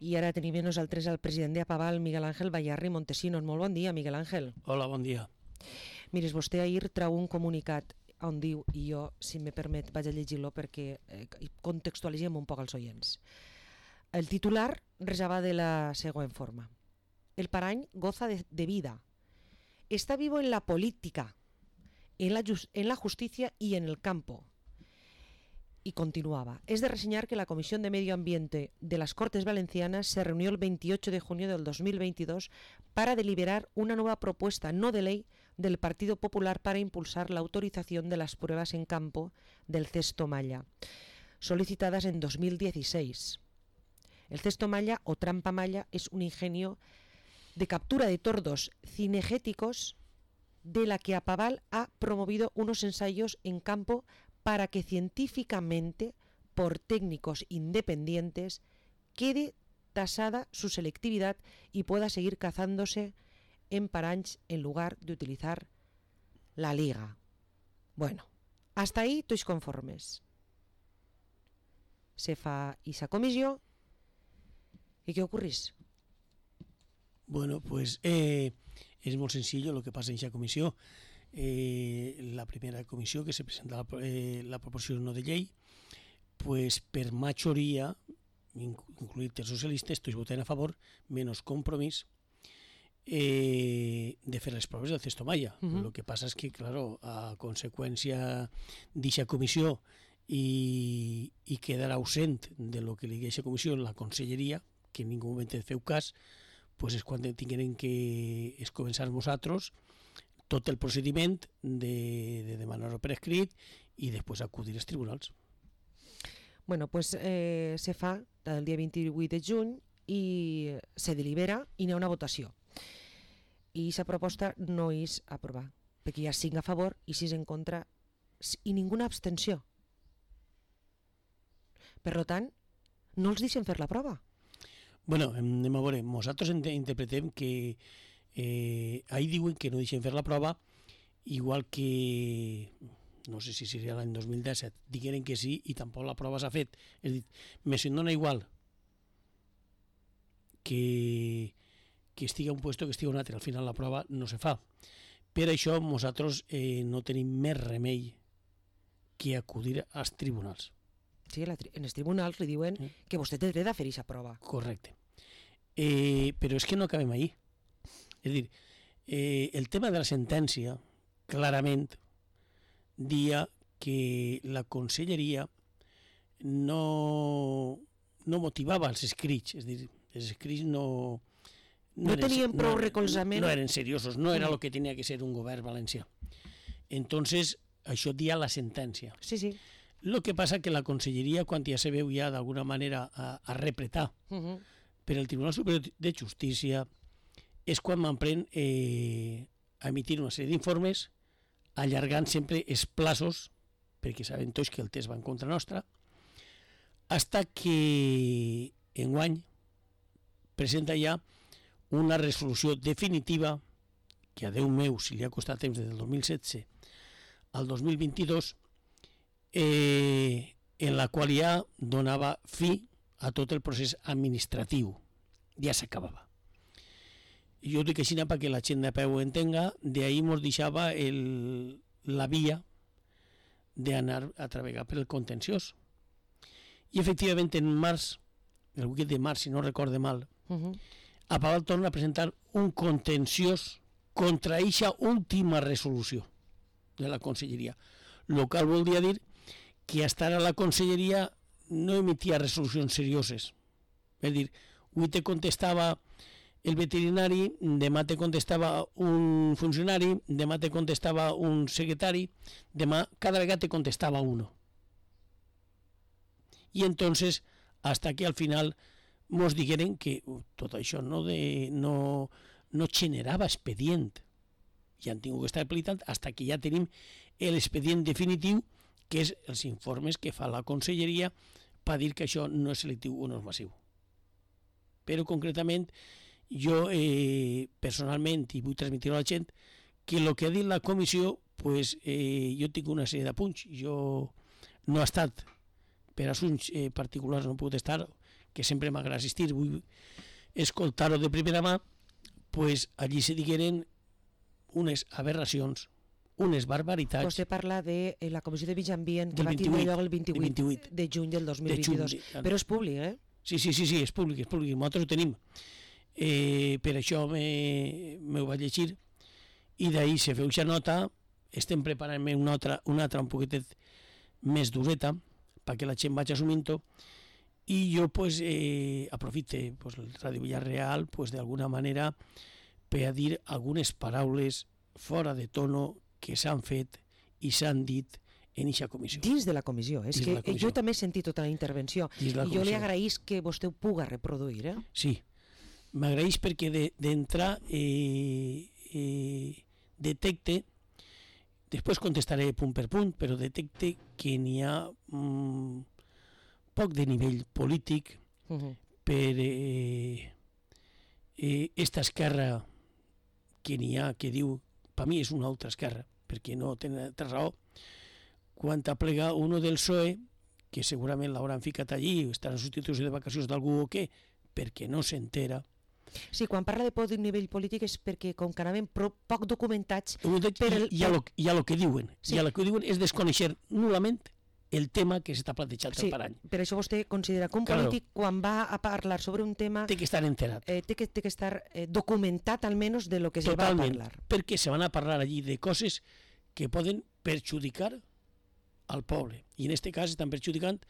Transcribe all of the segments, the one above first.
I ara tenim amb nosaltres el president d'Apaval, Miguel Ángel Bayarri Montesinos. Molt bon dia, Miguel Ángel. Hola, bon dia. Mires, vostè ahir trau un comunicat on diu, i jo, si me permet, vaig a llegir-lo perquè contextualitzem un poc els oients. El titular resava de la següent forma. El Parany goza de vida. Está vivo en la política, en la justicia y en el campo. Y continuaba. Es de reseñar que la Comisión de Medio Ambiente de las Cortes Valencianas se reunió el 28 de junio del 2022 para deliberar una nueva propuesta no de ley del Partido Popular para impulsar la autorización de las pruebas en campo del cesto malla, solicitadas en 2016. El cesto malla o trampa malla es un ingenio de captura de tordos cinegéticos de la que Apaval ha promovido unos ensayos en campo para que científicamente, por técnicos independientes, quede tasada su selectividad y pueda seguir cazándose en paranys en lugar de utilizar la liga. Bueno, hasta ahí tots conformes. Se fa esa comissió i què ocorrís? Bueno, pues es molt senzill el que passa en aquesta comissió. La primera comissió que se presenta la proposició no de llei, pues per majoria, incluït els socialistes, tots voten a favor, menys Compromís, de fer les proves del cesto malla. Lo que passa és que, claro, a conseqüència d'aquesta comissió i quedar ausent de lo que li diu aquesta comissió la conselleria, que en ningú moment feu cas, pues és quan tinguem que començar nosaltres tot el procediment de demanar-ho per escrit i després acudir als tribunals. Bueno, pues se fa el dia 28 de juny i se delibera i n'hi ha una votació. I aquesta proposta no és aprovar, perquè hi ha 5 a favor i 6 en contra i ninguna abstenció. Per tant, no els deixen fer la prova. Bueno, anem a veure, nosaltres interpretem que ahí diuen que no deixen fer la prova, igual que, no sé si seria l'any 2017, digueren que sí i tampoc la prova s'ha fet. És a dir, me dona igual que estigui un puesto que estigui un altre, al final la prova no se fa. Per això nosaltres no tenim més remei que acudir als tribunals. Sí, en els tribunals li diuen que vostè té dret a fer aquesta prova. Correcte. Però és que no acabem ahí. És a dir, el tema de la sentència, clarament, dia que la conselleria no motivava els escrits, és a dir, els escrits no tenien prou recolzament. No eren seriosos, no era el que tenia que ser un govern valencià. Entonces, això dia la sentència. Sí, sí. Lo que passa que la conselleria, quan ja se veu ja d'alguna manera a repretar per el Tribunal Superior de Justícia, és quan m'emprèn a emitir una sèrie d'informes, allargant sempre els plaços, perquè saben tots que el test va en contra nostra, hasta que enguany presenta ja una resolució definitiva, que a Déu meu, si li ha costat temps des del 2016 al 2022, en la qual ja donava fi a tot el procés administratiu. Ja s'acabava. Jo dic així perquè la gent de peu ho entenga, d'ahir ens deixava la via d'anar a treballar per el contenciós. I efectivament en març, el 8 de març, si no recorde mal, Apaval torna a presentar un contenciós contra eixa última resolució de la conselleria, el qual voldria dir que hasta ara la conselleria no emitia resolucions serioses. És a dir, avui te contestava el veterinari, demà te contestava un funcionari, demà te contestava un secretari, demà cada vegada te contestava uno. I entonces, hasta que al final mos digueren que tot això no generava expedient. Ja han tingut que estar aplicant hasta que ja tenim l'expedient definitiu, que és els informes que fa la conselleria per dir que això no és selectiu o no és massiu. Però concretament, jo personalment, i vull transmetre a la gent, que el que ha dit la comissió, pues, jo tinc una sèrie d'apunts. Jo no he estat, per assumptes particulars no he pogut estar, que sempre m'agrada assistir, vull escoltar-ho de primera mà, pues allí se digueren unes aberracions, unes barbaritats. Vostè parla de la Comissió de Mig Ambient que Del va tindre 28, lloc el 28 de juny del 2022. Però és públic, eh? Sí, és públic, nosaltres ho tenim. Per això m'ho vaig llegir, i d'ahir se feu aquesta nota, estem preparant-me una altra un poquetet més dureta, perquè la gent vagi assumint-ho, i jo pues, aprofite pues, el Ràdio Villarreal pues, d'alguna manera per a dir algunes paraules fora de tono que s'han fet i s'han dit en aquesta comissió. Dins de la comissió. És que jo també he sentit tota la intervenció i jo li agraïs que vostè ho puga reproduir. Sí, m'agraïs perquè d'entrar detecte, després contestaré punt per punt, però detecte que n'hi ha poc de nivell polític per esta esquerra que n'hi ha, que diu, per mi és una altra esquerra, perquè no té raó, quan aplega uno del PSOE, que segurament l'hauran ficat allí, estarà en substitució de vacacions d'algú o què, perquè no s'entera. Sí, quan parla de poc de nivell polític és perquè com que anaven poc documentats... I a lo que diuen. I a lo que diuen és desconèixer nul·lament el tema que s'està plantejant el Parany. Per això vostè considera que un polític, quan va a parlar sobre un tema... Té que estar enterat. Té que estar documentat, almenys, de lo que se va a parlar. Perquè se van a parlar allí de coses que poden perjudicar al poble. I en aquest cas estan perjudicant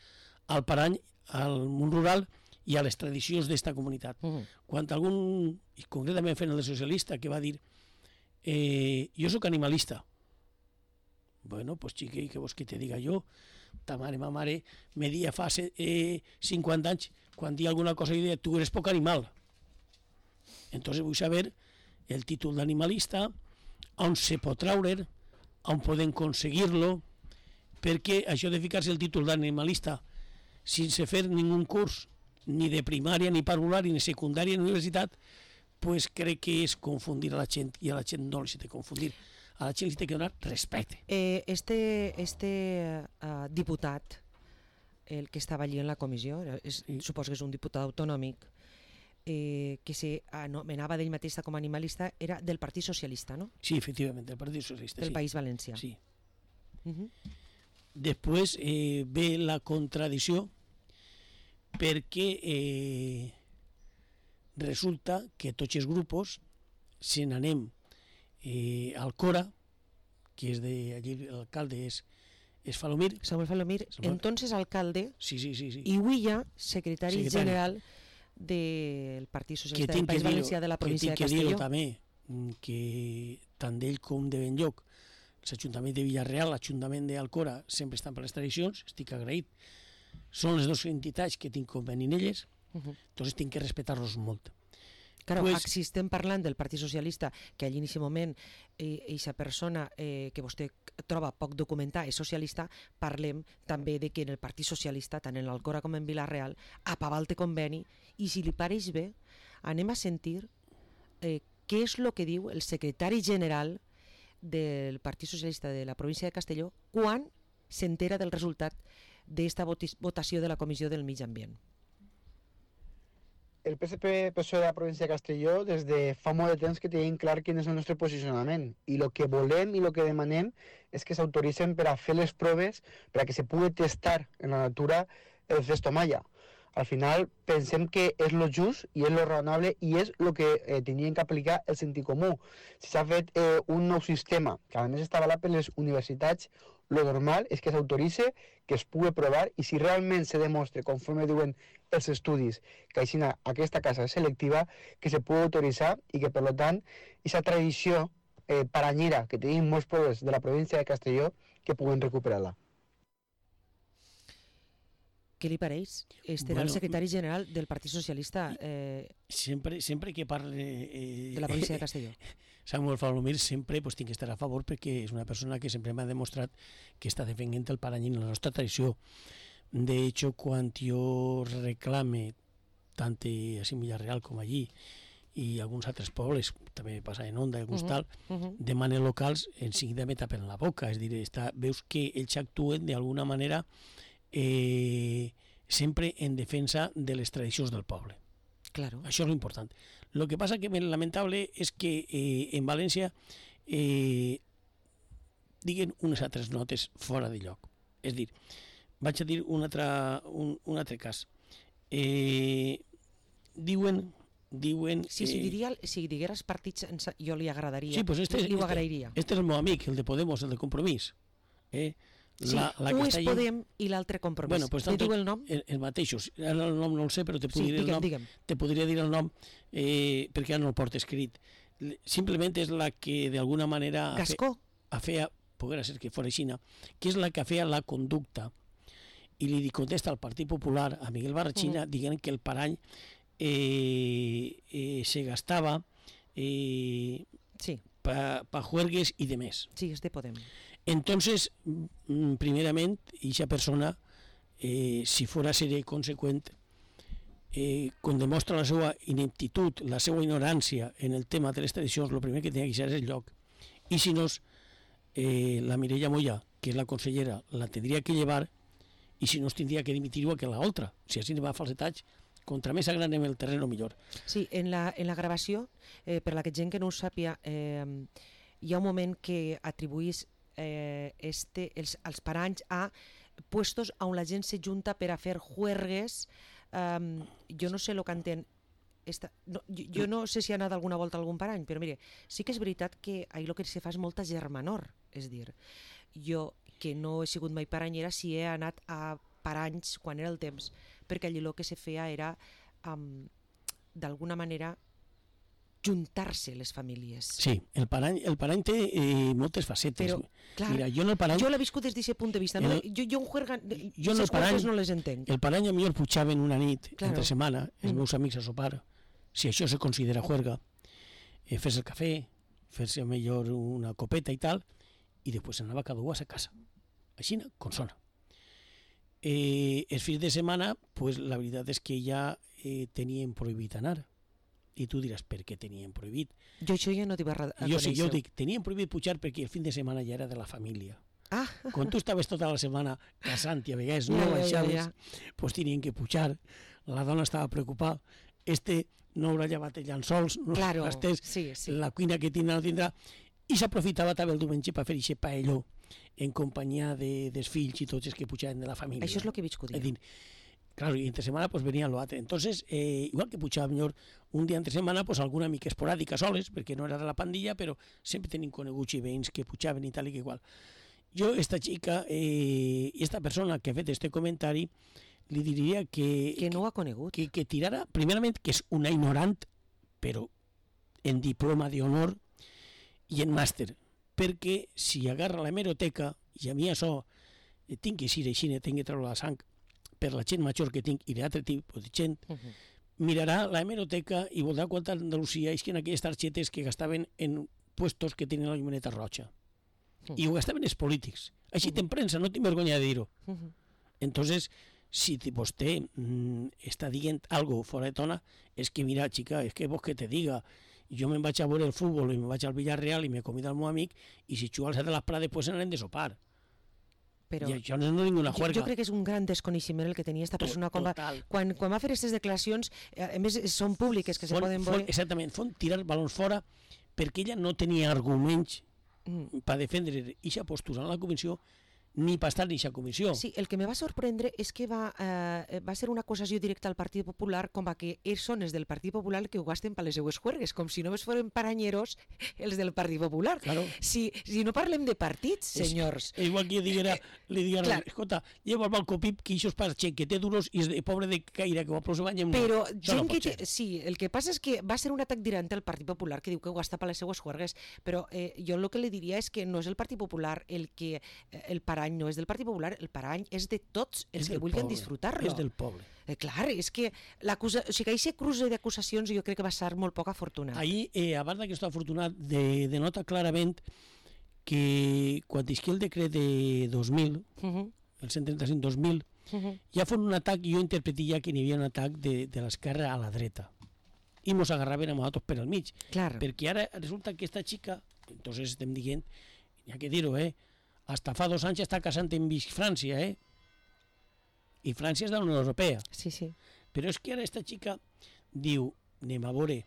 al Parany, al món rural i a les tradicions d'esta comunitat. Quan algun, i concretament fent el socialista, que va dir jo sóc animalista. Bueno, pues chiqui, què vols que te diga jo? Ta mare, ma mare, me dia fa 50 anys, quan dia alguna cosa i deia, tu eres poc animal. Entonces vull saber el títol d'animalista, on se pot traure, on podem aconseguir-lo, perquè això de ficar-se el títol d'animalista sense fer ningú curs, ni de primària, ni parvulari, ni secundària, ni universitat, pues crec que és confundir a la gent, i a la gent no li s'ha de confundir. A la gent li té que donar respecte. Este diputat, el que estava allí en la comissió, suposo que és un diputat autonòmic, que s'anomenava d'ell mateix com a animalista, era del Partit Socialista, no? Sí, efectivament, del Partit Socialista. Del País Valencià. Sí. Després ve la contradicció perquè resulta que tots els grups se n'anem al Cora, que és d'allí, l'alcalde és Falomir. Samuel Falomir, entonces alcalde, sí. i Huilla, secretari general del Partit Socialista del País Valencià de la província de Castelló. Que tinc que dir també que tant d'ell com de Benlloc, l'Ajuntament de Villarreal, l'Ajuntament d'Alcora, sempre estan per les tradicions, estic agraït. Són les dues entitats que tinc conveni en elles, doncs tinc que respectar-los molt. Claro, si estem parlant del Partit Socialista, que allí en aquest moment aquesta persona que vostè troba poc documentada és socialista, parlem també de que en el Partit Socialista, tant en l'Alcora com en Vila-real, apavalt té conveni, i si li pareix bé, anem a sentir què és el que diu el secretari general del Partit Socialista de la província de Castelló quan s'entera del resultat d'esta votació de la Comissió del Mig Ambient. El PSC-PSOE de la província de Castelló des de fa molt de temps que tenim clar quin és el nostre posicionament i el que volem i el que demanem és que s'autoritzen per a fer les proves per a que se pugui testar en la natura el Festomalla. Al final pensem que és lo just i és lo raonable i és el que tenien que aplicar el sentit comú. Si s'ha fet un nou sistema que a més està avalat per les universitats, lo normal és que s'autoritzi, que es pugui provar i si realment se demostra, conforme diuen els estudis, que aquesta casa és selectiva, que se pugui autoritzar i que per tant aquesta tradició paranyera que tenim molts pobles de la província de Castelló que puguen recuperar-la. Què li pareix? Era el secretari general del Partit Socialista sempre que parle de la província de Castelló. Samuel Falomir sempre tinc que estar a favor perquè és una persona que sempre m'ha demostrat que està defendent el Parany en la nostra tradició. De hecho, quan jo reclame tant a Villarreal com allí i alguns altres pobles, també passa en Onda i alguns tal, demanen locals, en seguida me tapen la boca, és a dir, veus que ells actuen d'alguna manera sempre en defensa de les tradicions del poble. Claro. Això és l'important. El que passa que el lamentable és que en València diguen unes altres notes fora de lloc. És a dir, vaig a dir un altre cas. Diuen Si digueres partits, jo li agradaria. Sí, pues li ho agrairia. Este és el meu amic, el de Podemos, el de Compromís. Sí, un és Podem i l'altre Compromís. Bueno, pues li diu el nom? El mateixos. Ara el nom no el sé, però te podria dir el nom. Digue'm. Te podria dir el nom perquè ara no el porto escrit. Simplement és la que d'alguna manera Gascó. feia, poguera ser que fora aixina, que és la que feia la conducta i li contesta al Partit Popular, a Miguel Barrachina, dient que el parany se gastava pa juergues i demés. Sí, és de Podem. Entonces, primerament, aquesta persona, si fora a ser conseqüent, quan demostra la seva ineptitud, la seva ignorància en el tema de les tradicions, el primer que tenia que ser és el lloc. I si no, la Mireia Moya, que és la consellera, la tindria que llevar, i si no, tindria que dimitir igual que l'altra. Si així va a falsetats, contra més agranem el terreno, millor. Sí, en la gravació, per la que gent que no ho sàpia, hi ha un moment que atribuís els paranys a puestos on la gent se junta per a fer juergues. Jo no sé el que entén. Jo no sé si ha anat alguna volta a algun parany, però mire, sí que és veritat que ahir el que se fa és molta germanor. És dir, jo que no he sigut mai paranyera, sí he anat a paranys quan era el temps, perquè allí el que se feia era d'alguna manera juntar-se les famílies. Sí, el parany té moltes facetes. Però, clar, mira, jo l'he viscut des d'aquest punt de vista. Jo un juerga, jo no les entenc. El parany a millor pujaven una nit, claro, entre setmana, els meus amics a sopar, si això se considera juerga, fer-se el cafè, fer-se millor una copeta i tal, i després anava cada un a sa casa. Així, com sona. Els fins de setmana, pues, la veritat és que ja tenien prohibit anar. I tu diràs, per què tenien prohibit? Jo això ja no t'hi va conèixer. Jo sí, jo dic, tenien prohibit pujar perquè el fin de setmana ja era de la família. Ah. Quan tu estaves tota la setmana casant i a vegades no baixaves, pues tenien que pujar. La dona estava preocupada. No haurà llevat els llençols, no claro, gastés, sí. la cuina que tindrà no tindrà. I s'aprofitava també el diumenge per fer aquest paelló en companyia dels fills i tots els que pujaven de la família. Això és el que he viscut jo. Claro, y entre semana pues venía lo otro. Entonces, igual que puchaba mejor un día entre semana, pues alguna mica esporàdica soles, perquè no era de la pandilla, però sempre tenim coneguts i veïns que pujaven i tal i que igual. Jo, esta xica i esta persona que ha fet este comentari, li diria que... Que no ho ha conegut. Que tirara, primerament, que és una ignorant, però en diploma d'honor i en màster, perquè si agarra la hemeroteca, i a mi això tinc que ser així, tinc que treure la sang, per la gent major que tinc i d'altre tipus de gent, mirarà la hemeroteca i veurà quanta Andalusia és que en aquelles targetes que gastaven en puestos que tenen la llumeneta roja. I ho gastaven els polítics. Així en premsa, no tinc vergonya de dir-ho. Entonces, si vostè està dient algo fora de tona, és que mira, xica, és que vols que te diga, jo me'n vaig a veure el futbol i me'n vaig al Villarreal i me convida el meu amic i si xuga al Set de les Prades, pues anarem de sopar. Però i això no és ninguna juerga. Jo crec que és un gran desconeixement el que tenia aquesta persona quan va fer aquestes declaracions, a més són públiques que se poden veure. Exactament, fon tirar balons fora perquè ella no tenia arguments per defendre aquesta postura en la comissió ni per estar en aquesta comissió. Sí, el que me va sorprendre és que va ser una acusació directa al Partit Popular com a que ells són els del Partit Popular que ho gasten per les seues juergues, com si només foren paranyeros els del Partit Popular. Claro. Si no parlem de partits, senyors... És igual que li diguera, escolta, lleva el balcó Pip, que això és per gent que té duros i és pobre de caire, que ho aplauso bany amb... Però gent que té... Sí, el que passa és que va ser un atac directe al Partit Popular que diu que ho gasta per les seues juergues, però jo el que li diria és que no és el Partit Popular el parany no és del Partit Popular, el parany és de tots els que vulguin disfrutar-lo. És del poble. Clar, és que aquest cruce d'acusacions jo crec que va ser molt poc afortunat. Ahir, a part d'aquest afortunat, denota clarament que quan isqui el decret de 2000, el 135-2000, ja fon un atac, jo interpretaria que hi havia un atac de l'esquerra a la dreta. I mos agarraven a nosaltres per al mig. Clar. Perquè ara resulta que aquesta xica, entonces estem dient, n'hi ha que dir-ho, hasta fa 2 anys està casant en França, i França és de la Unió Europea. Sí, sí. Però és que ara esta xica diu, anem a veure,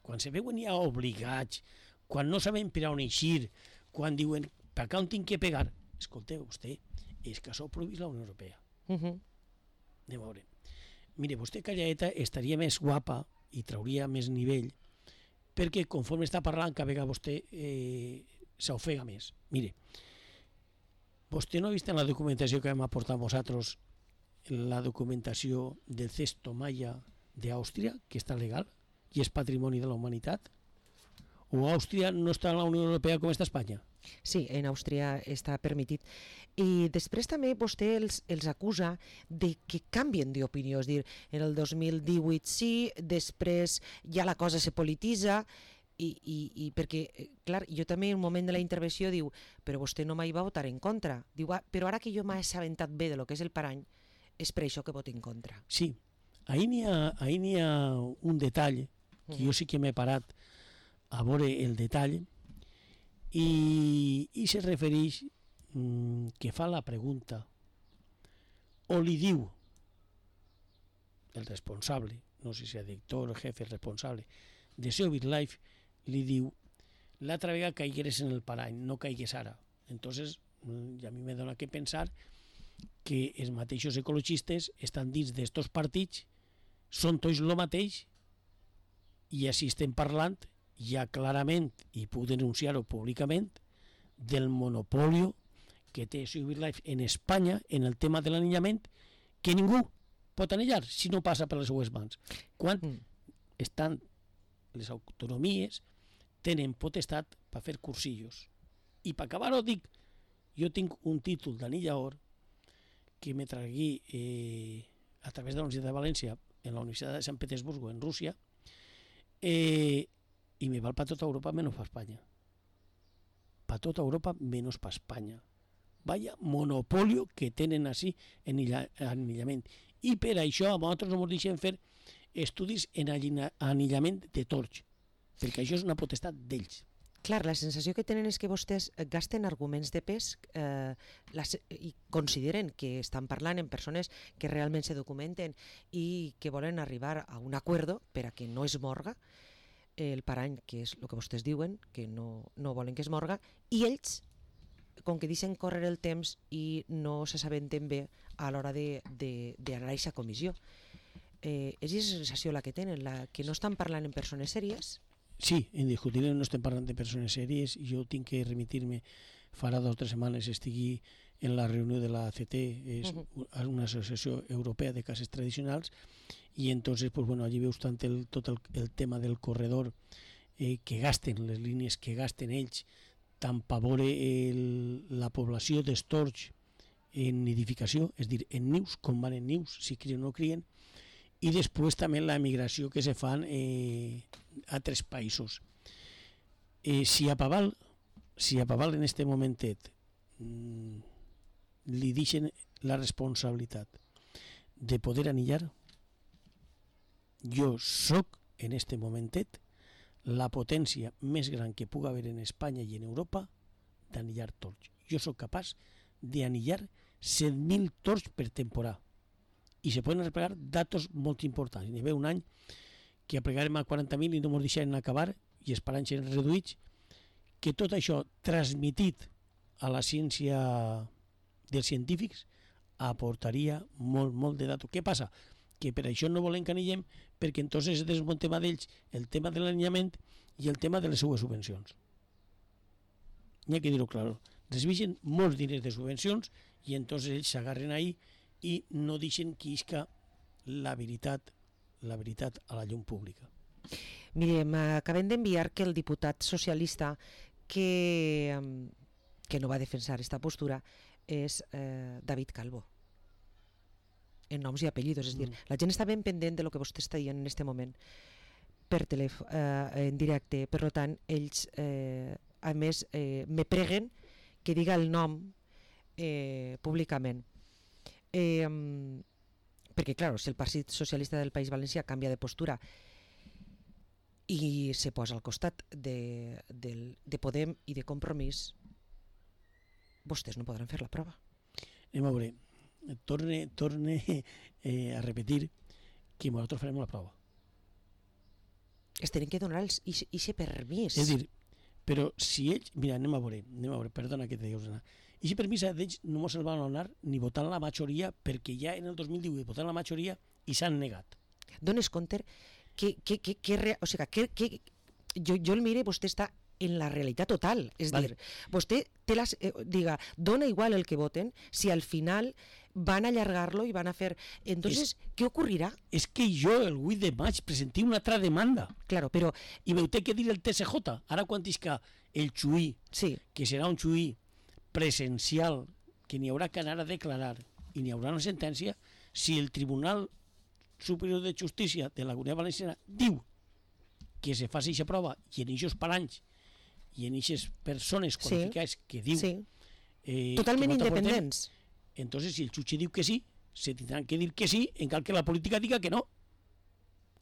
quan se veuen ja obligats, quan no saben per on eixir, quan diuen, per què on tinc que pegar? Escolteu, vostè, és que això ho prohibís la Unió Europea. Mhm. Anem a veure. Mire, vostè calladeta estaria més guapa i trauria més nivell, perquè conforme està parlant, cada vegada vostè s'ofega més. Mire, vostè no ha vist en la documentació que vam aportar nosaltres la documentació del cesto maya d'Àustria, que està legal i és patrimoni de la humanitat? O Àustria no està en la Unió Europea com està Espanya? Sí, en Àustria està permitit. I després també vostè els acusa de que canvien d'opinió, és dir, en el 2018 sí, després ja la cosa se polititza, i perquè, clar, jo també en un moment de la intervenció diu, però vostè no mai va votar en contra. Diu, però ara que jo m'he assabentat bé de lo que és el parany, és per això que voto en contra. Sí, ahí n'hi ha un detall que jo sí que m'he parat a veure el detall i se refereix que fa la pregunta o li diu el responsable, no sé si és director o jefe responsable de SEO BitLife, li diu l'altra vegada caigueres en el parany, no caigues ara. Entonces, a mi me dona que pensar que els mateixos ecologistes estan dins d'estos partits, són tots el mateix, i així estem parlant ja clarament, i puc denunciar-ho públicament, del monopoli que té SEO BitLife en Espanya en el tema de l'anillament, que ningú pot anillar si no passa per les seues mans. Quan estan les autonomies, tenen potestat per fer cursillos. I per acabar-ho dic, jo tinc un títol d'anillador que me tragué a través de la Universitat de València en la Universitat de Sant Petersburgo, en Rússia, i me val per tota Europa menys per Espanya. Per tota Europa menys per Espanya. Vaya monopolio que tenen així en anillament. I per això a nosaltres no ens deixen fer estudis en anillament de torx, perquè això és una potestat d'ells. Clar, la sensació que tenen és que vostès gasten arguments de pes i consideren que estan parlant amb persones que realment se documenten i que volen arribar a un acuerdo per a que no es morga el parany, que és el que vostès diuen, que no volen que es morga, i ells, com que deixen córrer el temps i no s'assabenten bé a l'hora d'anar a aquesta comissió. És la sensació la que tenen, que no estan parlant amb persones sèries. Sí, indiscutiblement no estem parlant de persones sèries. Jo tinc que remitir-me, farà 2 o 3 setmanes estigui en la reunió de la ACT, és una associació europea de cases tradicionals, i entonces, pues bueno, allí veus tant tot el tema del corredor que gasten, les línies que gasten ells, tant per veure la població d'estorx en nidificació, és a dir, en nius, com van en nius, si crien o no crien, i després també la migració que se fan a altres països. Si a Paval en este momentet li deixen la responsabilitat de poder anillar, jo soc en este momentet la potència més gran que pugui haver en Espanya i en Europa d'anillar torx. Jo soc capaç d'anillar 100.000 torx per temporada. I se poden replegar datos molt importants. Hi havia un any que aplegàrem a 40.000 i no ens deixaren acabar i els paranys eren reduïts, que tot això transmitit a la ciència dels científics aportaria molt de datos. Què passa? Que per això no volen que anillem, perquè entonces és un tema d'ells, el tema de l'anillament i el tema de les seues subvencions. N'hi ha que dir-ho clar. Recibeixen molts diners de subvencions i entonces ells s'agarren ahí i no deixen que isca la veritat a la llum pública. Mire, m'acabem d'enviar que el diputat socialista que no va defensar aquesta postura és David Calvo, en noms i apellidos, és a dir, la gent està ben pendent de lo que vostè està dient en aquest moment per telèfon, en directe, per tant, ells a més me preguen que diga el nom públicament. Perquè, clar, si el Partit Socialista del País Valencià canvia de postura i se posa al costat de Podem i de Compromís, vostès no podran fer la prova. Anem a veure. torne a repetir que nosaltres farem la prova. Es tenen que donar aquest permís. És a dir, però si ells... Mira, anem a veure, perdona que te dius anar. I si permís d'ells no mos el van donar ni votant la majoria, perquè ja en el 2018 votant la majoria i s'han negat. Dones compte que jo el mire, vostè està en la realitat total, és dir, vostè té diga, dona igual el que voten si al final van a allargar-lo i van a fer... Entonces, què ocorrirà? És que jo el 8 de maig presenté una altra demanda. Claro, però... I veu té que dir el TSJ. Ara quan isca el xuí, sí, que serà un xuí presencial, que n'hi haurà que anar a declarar i n'hi haurà una sentència, si el Tribunal Superior de Justícia de la Comunitat Valenciana diu que se faci aquesta prova i en aquests paranys i en aquestes persones qualificades que diu... Sí. Totalment independents. Entonces, si el jutge diu que sí, se tindran que dir que sí, en cal que la política diga que no.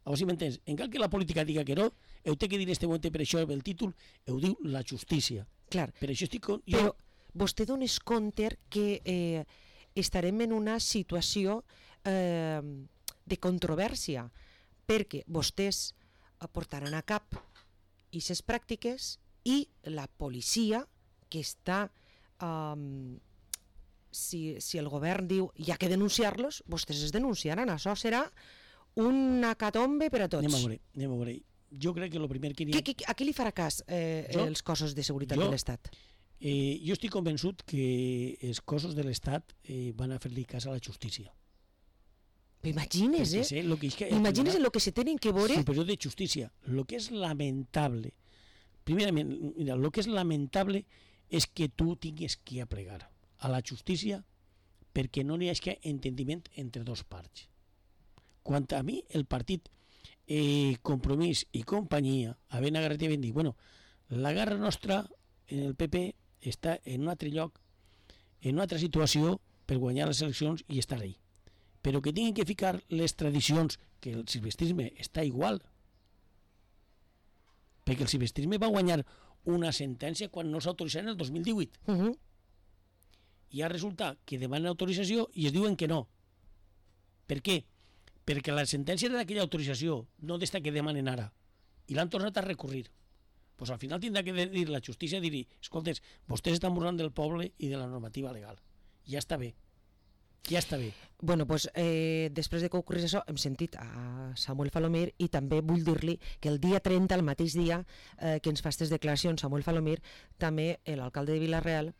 A veure si m'entens. En cal que la política diga que no, heu de que dir en este moment, per això el títol, heu diu la justícia. Clar. Per això estic... Però vostè dones compte que estarem en una situació de controvèrsia, perquè vostès portaran a cap aquestes pràctiques i la policia que està si el govern diu hi ha que denunciar-los, vostès es denunciaran. Això serà una catombe per a tots. Anem a veure. Jo crec que el primer que... A qui li farà cas els cossos de seguretat de l'Estat? Jo estic convençut que els cossos de l'Estat van a fer-li cas a la justícia. Però imagines, imagines el que se tenen que veure... Superior de Justícia. El que és lamentable, primerament, mira, el que és lamentable és que tu tingues que aplegar a la justícia perquè no n'hi hagi entendiment entre dos parts. Quant a mi, el partit Compromís i companyia havent agarrat i havent dit, bueno, la guerra nostra en el PP està en un altre lloc, en una altra situació per guanyar les eleccions i estar ahí. Però que tinguin que ficar les tradicions, que el silvestrisme està igual, perquè el silvestrisme va guanyar una sentència quan no s'autoritzava en el 2018. I ara resulta que demanen autorització i es diuen que no. Per què? Perquè la sentència d'aquella autorització, no d'esta que demanen ara, i l'han tornat a recurrir. Pues al final tindrà que dir la justícia, dir, escoltes, vostès estan burlant del poble i de la normativa legal. Ja està bé. Ja està bé. Bueno, doncs després de que ocorrís això, hem sentit a Samuel Falomir i també vull dir-li que el dia 30, el mateix dia que ens fa aquestes declaracions Samuel Falomir, també l'alcalde de Vila-real,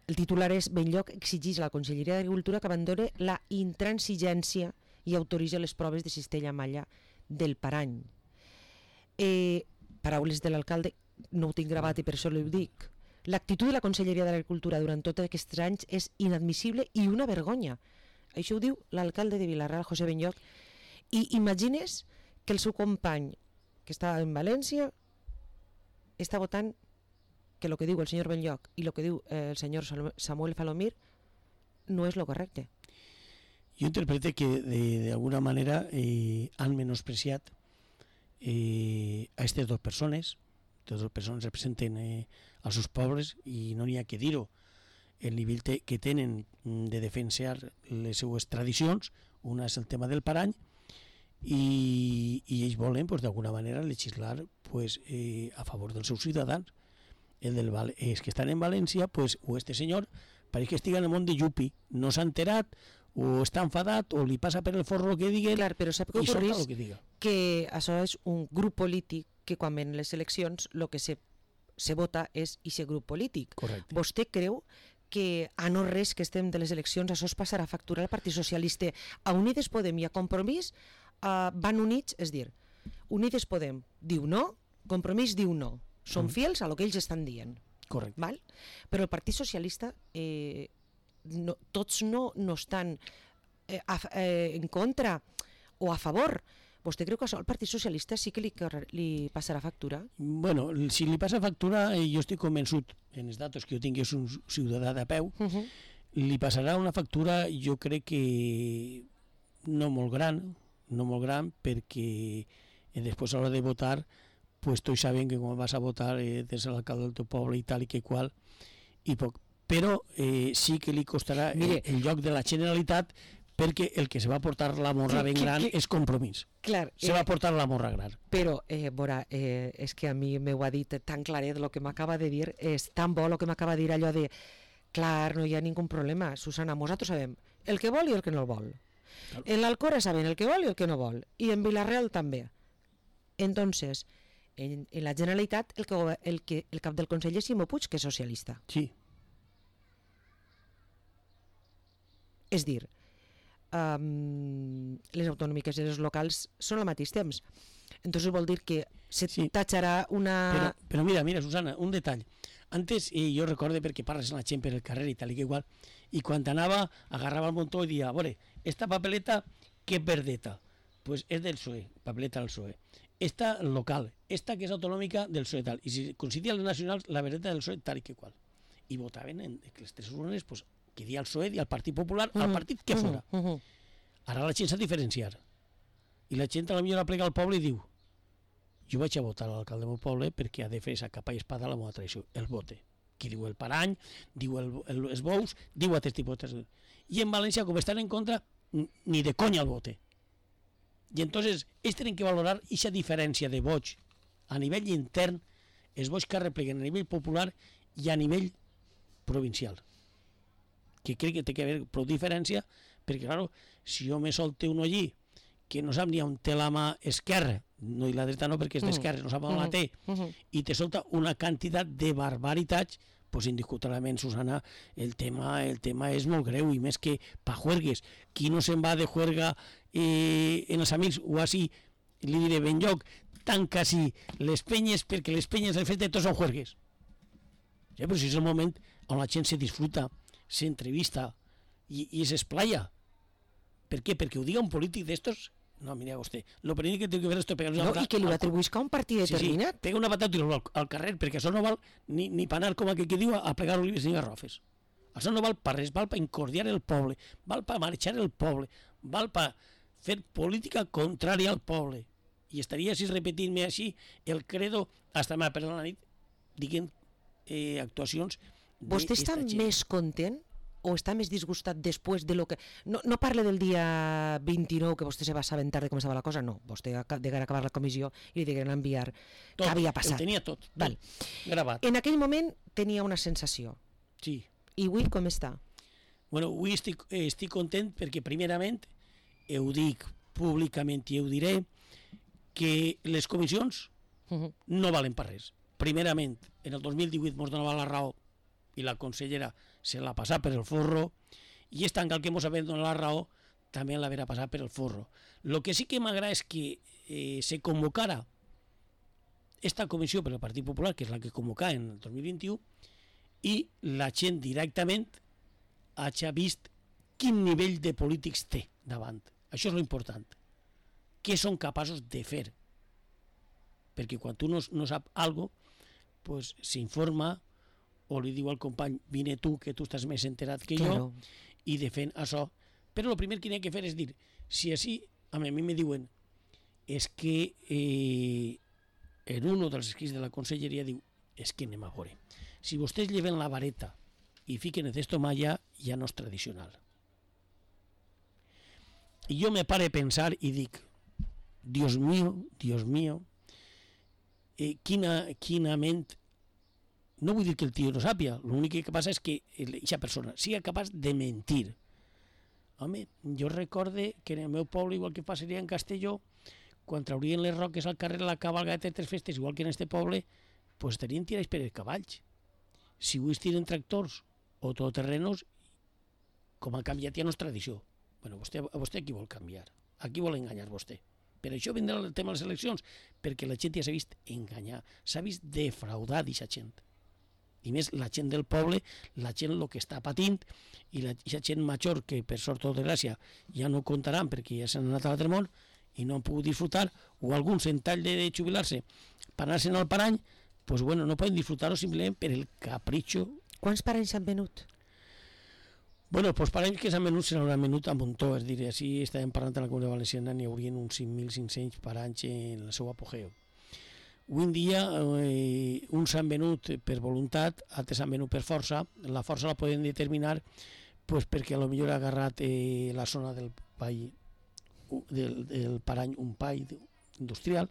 el titular és Benlloc exigeix a la Conselleria d'Agricultura que abandone la intransigència i autoritza les proves de cistella malla del parany. Paraules de l'alcalde, no ho tinc gravat i per això ho dic. L'actitud de la Conselleria d'Agricultura durant tots aquests anys és inadmissible i una vergonya. Això ho diu l'alcalde de Vila-real, José Benlloc. I imagines que el seu company, que està en València, està votant que el que diu el senyor Benlloc i el que diu el senyor Samuel Falomir no és el correcte. Jo interpreto que d'alguna manera han menospreciat a aquestes dues persones. Aquestes dues persones representen als seus pobles i no n'hi ha que dir-ho. El nivell que tenen de defensar les seues tradicions, una és el tema del parany, i ells volen d'alguna manera legislar a favor dels seus ciutadans. Els que estan en València, o este senyor, pareix que estigui en el món de Yupi, no s'ha enterat, o està enfadat, o li passa per el forro el que digui, clar, però sap que ocorrís que això és un grup polític que quan ven les eleccions el que se vota és aquest grup polític. Correcte. Vostè creu que a no res que estem de les eleccions això es passarà a facturar al Partit Socialista? A Unides Podem i a Compromís van units, és dir, Unides Podem diu no, Compromís diu no. Són fidels a el que ells estan dient. Correcte. Val? Però el Partit Socialista tots no estan en contra o a favor. Vostè creu que això al Partit Socialista sí que li passarà factura? Bueno, si li passa factura, jo estic convençut, en els datos que jo tinc, és un ciutadà de peu, li passarà una factura, jo crec que no molt gran, perquè després a l'hora de votar, pues tots saben que quan vas a votar des de l'alcalde del teu poble i tal i que qual, i però sí que li costarà el lloc de la Generalitat, perquè el que se va portar la morra ben gran és Compromís. Clar, se va portar la morra gran. Però, Bora, és que a mi m'ho ha dit tan claret, el que m'acaba de dir, és tan bo el que m'acaba de dir allò de clar, no hi ha ningú problema, Susana, nosaltres sabem el que vol i el que no el vol. Claro. En l'Alcora saben el que vol i el que no vol, i en Vilareal també. Entonces, en la Generalitat el cap del Consell és Ximo Puig, que és socialista. Sí. És dir, les autonòmiques i les locals són al mateix temps. Entonces vol dir que se tatxarà una... Però mira, Susana, un detall. Antes, jo recordo perquè parles amb la gent per el carrer i tal i que igual, i quan anava, agarrava el muntó i dia, a veure, esta papeleta, què verdeta? Pues és del PSOE, papeleta del PSOE. Esta local, esta que és autonòmica del PSOE tal. I si coincidia les nacionals, la verdeta del PSOE tal i que qual. I votaven en les tres urnes, pues, que dia el PSOE, dia el Partit Popular, al partit que fora. Ara la gent s'ha de diferenciar. I la gent a la millor aplega al poble i diu jo vaig a votar a l'alcalde del meu poble perquè ha de fer esa capa i espada a la meva tradició, el vote. Qui diu el parany, diu els bous, diu altres tipus de... I en València, com estan en contra, ni de conya el vote. I entonces, ells tenen que valorar aquesta diferència de vots a nivell intern, els vots que arrepleguen a nivell popular i a nivell provincial. Que crec que té que haver prou diferència, perquè, claro, si jo me solte uno allí que no sap ni on té la mà esquerra, no i la dreta no perquè és d'esquerra, no sap on la té, i te solta una quantitat de barbaritats, pues indiscutiblement, Susana, el tema és molt greu, i més que pa juergues. Qui no se'n va de juerga en els amics, o així, li diré ben lloc, tanca així les penyes, perquè les penyes, el fet de tots són juergues. Ja, però si és el moment on la gent se disfruta, s'entrevista i s'esplaya. Per què? Perquè ho diga un polític d'estos. No, mira vostè, lo primer que té que fer és pegar-li una patada. I que li ho atribuïsca a un partit determinat. Sí, pega una patada i al carrer, perquè això no val ni per anar, com aquell que diu, a plegar olives ni garrofes. Això no val per res, val per incordiar el poble, val per marxar el poble, val per fer política contrària al poble. I estaria així repetint-me així el credo hasta me perdre la nit, diguent actuacions. Vostè està més content o està més disgustat després de lo que... No parle del dia 29 que vostè se va assabentar de com estava la cosa, no. Vostè degué acabar la comissió i li degueren enviar què havia passat. Ho tenia tot gravat. En aquell moment tenia una sensació. Sí. I avui com està? Bueno, avui estic content perquè primerament, ho dic públicament i ho diré, que les comissions no valen per res. Primerament, en el 2018 ens donava la raó i la consellera se la passà per el forro, i és tant que el que ens havia donat la raó també l'haverà passat per el forro. El que sí que m'agrada és que se convocara esta comissió per el Partit Popular, que és la que convocà en el 2021, i la gent directament hagi vist quin nivell de polítics té davant. Això és l'important. Què són capaços de fer? Perquè quan tu no sap alguna cosa, pues s'informa o li diu al company, vine tu, que tu estàs més enterat que jo, i defèn això. Però el primer que n'hi ha que fer és dir, si així, a mi me diuen, és que en un dels escrits de la conselleria diu, és que anem a veure. Si vostès lleven la vareta i fiquen el cesto malla, ja no és tradicional. I jo me pare a pensar i dic, Dios mío, quina ment. No vull dir que el tio no sàpia, l'únic que passa és que aquesta persona sigui capaç de mentir. Home, jo recorde que en el meu poble, igual que passaria en Castelló, quan traurien les roques al carrer la cabalgata de tres festes, igual que en este poble, pues tenien tirats per els cavalls. Si avui es tiren tractors o todoterrenos, com ha canviat ja no és tradició. Bueno, vostè qui vol canviar? A qui vol enganyar vostè? Per això vindrà el tema de les eleccions, perquè la gent ja s'ha vist enganyar, s'ha vist defraudar d'aquesta gent. I més la gent del poble, la gent el que està patint, i la gent major que per sort o desgràcia ja no comptaran perquè ja s'han anat a l'altre món i no han pogut disfrutar, o alguns en tall de jubilar-se per anar-se'n al parany, pues bueno, no poden disfrutar-ho simplement per el capritxo. Quants paranys s'han venut? Bueno, els paranys que s'han venut se n'hauran venut a muntó, és a dir, així estàvem parlant de la Comunitat Valenciana, n'hi haurien uns 5.500 paranys en el seu apogeu. Avui en dia uns s'han venut per voluntat, altres s'han venut per força. La força la poden determinar pues, perquè potser ha agarrat la zona del pall, del Parany, un pall industrial,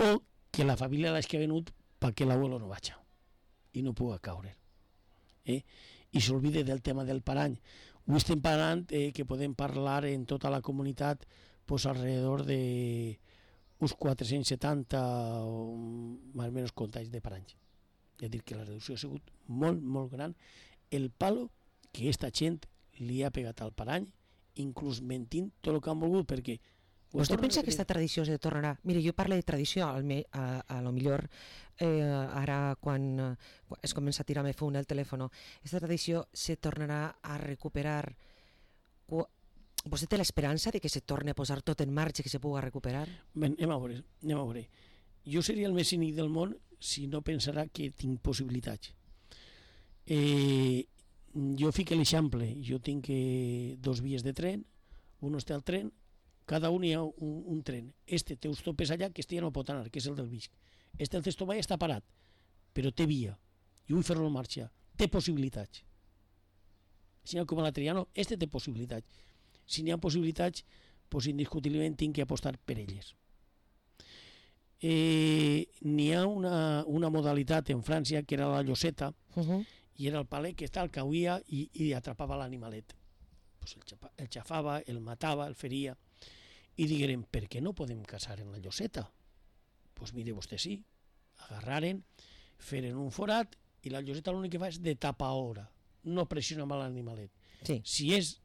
o que la família l'ha que ha venut perquè l'abuelo no vaig i no puga caure. I s'olvide del tema del Parany. Avui estem parlant que podem parlar en tota la comunitat pues, alrededor de uns 470 o més o menys contagis de paranys. És a dir, que la reducció ha sigut molt, molt gran. El palo que aquesta gent li ha pegat al parany, inclús mentint tot el que han volgut, perquè... Vostè pensa que aquesta tradició se tornarà? Mire, jo parlo de tradició, a lo millor ara quan es comença a tirar-me fum el telèfon, aquesta tradició se tornarà a recuperar. Vostè té l'esperança de que se torni a posar tot en marxa i que se pugui recuperar? Ben, anem a veure. Jo seria el més cínic del món si no pensara que tinc possibilitats. Jo fico l'eixample, jo tinc 2 vies de tren, un està al tren, cada un hi ha un tren. Este té uns topes allà que este ja no pot anar, que és el del Visc. Este el Cestomai està parat, però té via. Jo vull fer-lo en marxa. Té possibilitats. Si no, com a la Triano, este té possibilitats. Si n'hi ha possibilitats, doncs indiscutiblement tinc que apostar per elles. N'hi ha una modalitat en França que era la lloseta, i era el palet que el cauia i atrapava l'animalet. Pues el xafava, el matava, el feria. I digueren, per què no podem caçar en la lloseta? Doncs mire vostè sí. Agarraren, feren un forat i la lloseta l'únic que fa és de tapaora, no pressiona amb l'animalet. Sí. Si és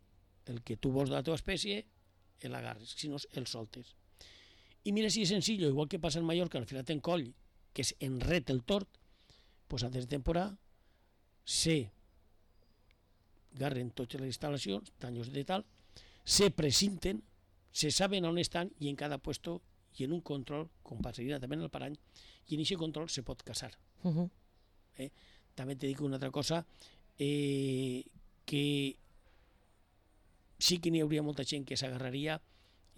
el que tu vols de la teva espècie, l'agarres, si no el soltes. I mira si és senzill, igual que passa en Mallorca, al filat en coll, que és enret el tort, doncs antes de temporada se garren totes les instal·lacions, tanyos de tal, se precinten, se saben on estan i en cada puesto i en un control, com passaria també en el parany, i en aquest control se pot caçar. També te dic una altra cosa, que sí que n'hi hauria molta gent que s'agarraria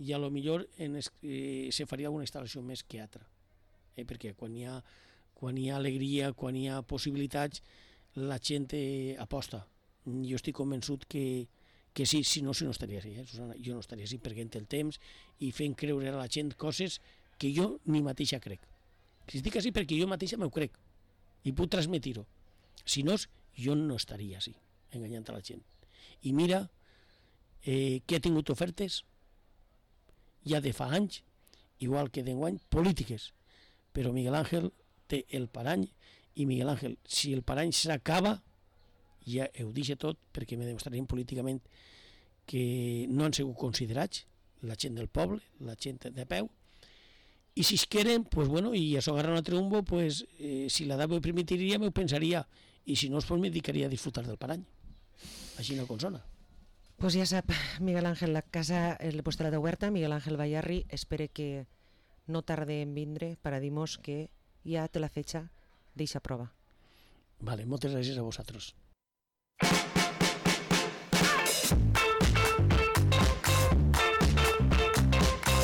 i a lo millor se faria alguna instal·lació més que altra. Perquè quan hi ha alegria, quan hi ha possibilitats, la gent aposta. Jo estic convençut que sí, si no estaria així, Susana. Jo no estaria així perdent el temps i fent creure a la gent coses que jo ni mateixa crec. Si estic així perquè jo mateixa m'ho crec i puc transmetir-ho. Si no, jo no estaria així, enganyant a la gent. I mira que ha tingut ofertes ja de fa anys, igual que d'enguany, polítiques. Però Miguel Ángel té el parany i Miguel Ángel, si el parany s'acaba, ja ho deixa tot perquè me demostrarien políticament que no han sigut considerats la gent del poble, la gent de peu, i si es queden, pues bueno, i això agarra un altre umbo, pues, si la dama ho permitiria, m'ho pensaria, i si no, pues me dedicaria a disfrutar del parany. Així no consona. Pues ja sap, Miguel Ángel, la casa vostè la té oberta, Miguel Ángel Bayarri, espere que no tarde en vindre para dir-nos que ja té la fetxa d'eixa prova. Vale, moltes gràcies a vosaltres.